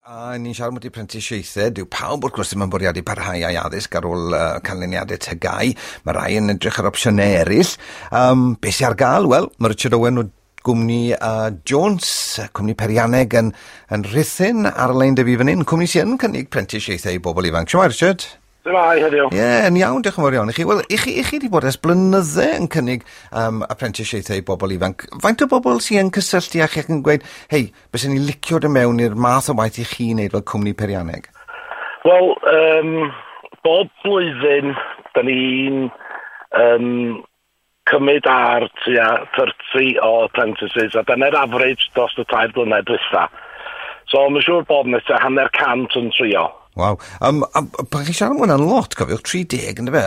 A ni'n siarad am y prentisiaethau, dyw pawb wrth gwrs ddim yn bwriadu parhau â'i addysg ar ôl canlyniadau TGAU. Mae rai yn edrych ar opsiynau eraill. Be sy'n ar gael? Wel, mae Richard Owen o gwmni Jones, cwmni peirianneg yn Rhuthun ar y lein 'da fi fan hyn, cwmni sy'n cynnig prentisiaethau i bobl ifanc. Shwmae, Richard? Shwmae heddiw? Ie, yeah, yn iawn, diolch yn fawr iawn i chi. Wel, i chi wedi bod ers blynydde yn cynnig apprenticesiaethau i bobl ifanc. Faint o bobl sy'n yn cysylltu â chi ac yn gweud, "Hei, byswn ni'n licio dod mewn i'r math o waith i chi wneud fel cwmni peirianneg"? Wel, bob blwyddyn, da ni'n cymryd ar tua 30 o apprentices, a dyna'r average dros y 3 blynedd dwytha. So, mae'n siŵr bod yna tua 50 yn trio. Waw. A pan chi'n siarad am hwnna'n lot, cofiwch, 30, ynddo fe?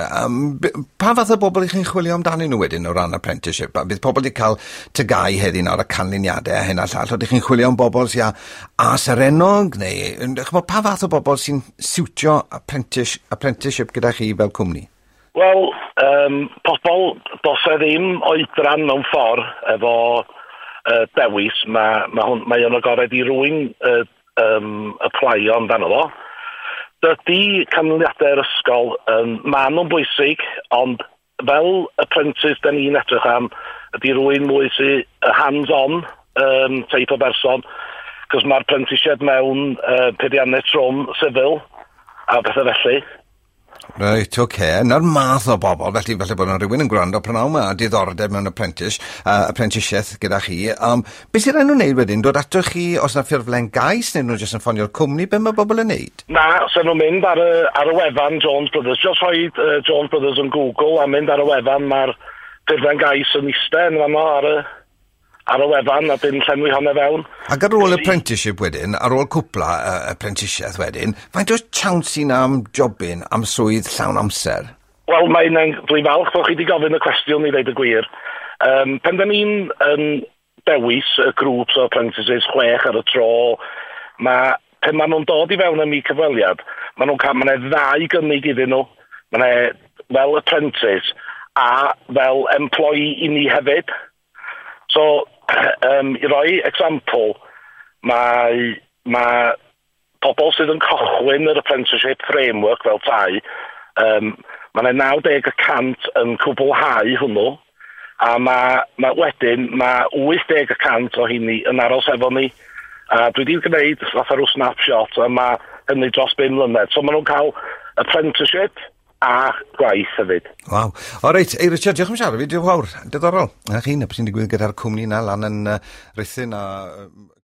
Pa fath o bobl i chi'n chwilio amdanyn nhw wedyn o ran apprenticeship? A bydd pobl wedi cael TGAU heddi nawr a canlyniadau a hyn a llall. Ydych chi'n chwilio am bobl sy'n A serennog, neu ch'mod, pa fath o bobl sy'n siwtio apprenticeship gyda chi fel cwmni? Wel, pobl, does e ddim oedran mewn ffordd efo dewis. Mae o'n agored i rywun applio amdano fo. Dydy canlyniadau'r ysgol, ma nhw'n bwysig, ond fel apprentice da ni'n edrych am, ydy rywun mwy sy hands-on type o berson, cos mae'r prentisiaid mewn peiriannau trwm civil a bethau felly. Reit, oce. Okay. Na'r math o bobl, felly felly bod yna rhywun yn gwrando prynhawn yma a diddordeb mewn apprenticesiaeth gyda chi. Beth sy'n rhaid nhw'n neud wedyn? Dod atoch chi os yna ffurflen gais neu nhw jyst yn ffonio'r cwmni? Be mae bobl yn neud? Na, so nhw'n mynd ar y wefan Jones Brothers. Just rhoi Jones Brothers yn Google a mynd ar y wefan, mae'r ffurflen gais yn eistedd yn fanno ar y wefan a dyn llenwi hwnna fewn. Ac ar ôl apprenticeship wedyn, ar ôl cwpla apprenticesiaeth wedyn, faint o chance sy'n am jobyn, am swydd llawn amser? Wel, dwi'n falch bod chi wedi gofyn y cwestiwn i ddeud y gwir. Pen da ni'n yn dewis y grŵps o apprentices chwech ar y tro, pen maen nhw'n dod i fewn am i cyfweliad, maen nhw'n cael, mae'n ddau gynnig iddyn nhw. Mae'n fel apprentice a fel employee i ni hefyd. So, i roi example, mae pobl sydd yn cychwyn yr apprenticeship framework fel tai, mae yna 90% yn cwblhau hwnnw, a mae wedyn, mae 80% o hynny yn aros efo ni. A dwi wedi gwneud fatha rhyw snapshot, a mae hynny dros 5 mlynedd. So maen nhw'n cael apprenticeship a gwaith hefyd. Waw. O reit, ei Richard, diolch am siarad fi, diolch yn fawr. Diddorol. Na chi, na beth sy'n digwydd gyda'r cwmni na lan yn Rhuthun a